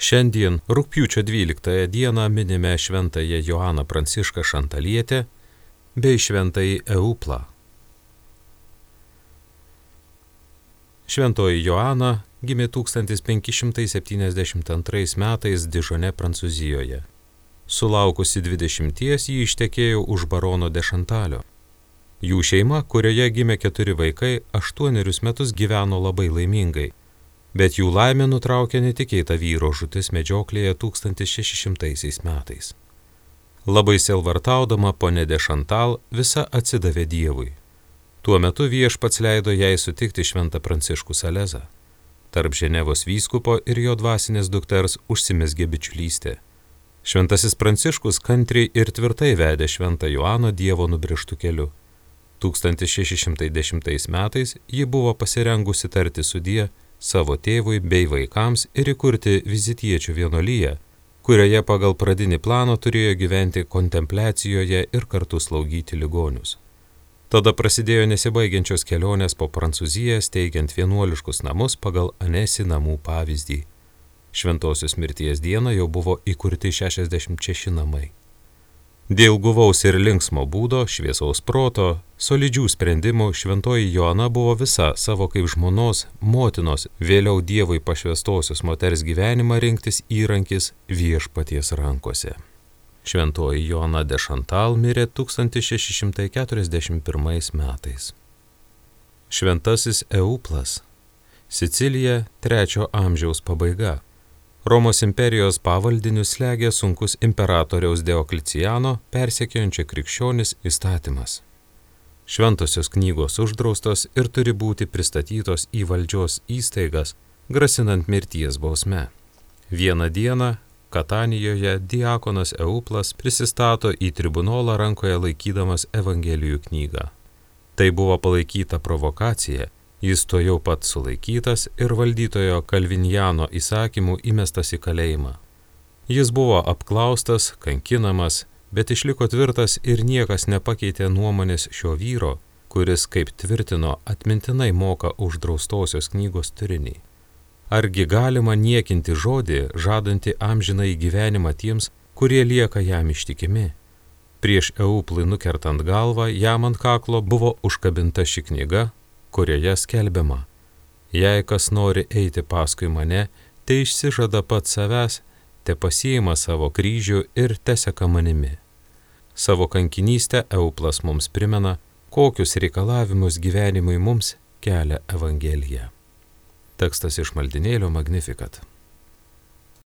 Šiandien, rugpjūčio 12 dieną, minime šventąją Joaną Prancišką Šantalietę bei šventąjį Euplą. Šventoji Joana gimė 1572 metais Dižone, Prancūzijoje. Sulaukusi 20 ji ištekėjo už barono de Šantalio. Jų šeima, kurioje gimė 4 vaikai, 8 metus gyveno labai laimingai, bet jų laimę nutraukė netikėta vyro žūtis medžioklėje 1600 metais. Labai sielvartaudama ponė de Šantal visa atsidavė Dievui. Tuo metu Viešpats leido jai sutikti šventą Pranciškų Salezą. Tarp Ženevos vyskupo ir jo dvasinės dukters užsimezgė bičiulystė. Šventasis Pranciškus kantriai ir tvirtai vedė šventą Joaną Dievo nubrėžtu keliu. 1610 metais ji buvo pasirengusi tarti sudie savo tėvui bei vaikams ir įkurti vizitiečių vienuoliją, kurioje pagal pradinį planą turėjo gyventi kontempliacijoje ir kartu slaugyti ligonius. Tada prasidėjo nesibaigiančios kelionės po Prancūziją, steigiant vienuoliškus namus pagal Anesi namų pavyzdį. Šventosios mirties dieną jau buvo įkurti 66 namai. Dėl guvaus ir linksmo būdo, šviesaus proto, solidžių sprendimų šventoji Joana buvo visa savo kaip žmonos, motinos, vėliau Dievui pašvestosios moters gyvenimą rinktis įrankis Viešpaties rankose. Šventoji Joana de Šantal mirė 1641 metais. Šventasis Euplas, Sicilija, 3 amžiaus pabaiga. Romos imperijos pavaldinius slėgė sunkus imperatoriaus Diokleciano persekiojančio krikščionis įstatymas. Šventosios knygos uždraustos ir turi būti pristatytos į valdžios įstaigas, grasinant mirties bausme. Vieną dieną Katanijoje diakonas Euplas prisistato į tribunolą rankoje laikydamas Evangelijų knygą. Tai buvo palaikyta provokacija. Jis tuojau pat sulaikytas ir valdytojo Kalvinjano įsakymų įmestas į kalėjimą. Jis buvo apklaustas, kankinamas, bet išliko tvirtas ir niekas nepakeitė nuomonės šio vyro, kuris, kaip tvirtino, atmintinai moka uždraustosios knygos turinį. Argi galima niekinti žodį, žadantį amžinai gyvenimą tiems, kurie lieka jam ištikimi? Prieš Euplui nukertant galvą, jam ant kaklo buvo užkabinta ši knyga, kurioje skelbiama: jei kas nori eiti paskui mane, tai išsižada pats savęs, te pasiima savo kryžių ir teseka manimi. Savo kankinystę Euplas mums primena, kokius reikalavimus gyvenimui mums kelia Evangelija. Tekstas iš maldynėlio Magnificat.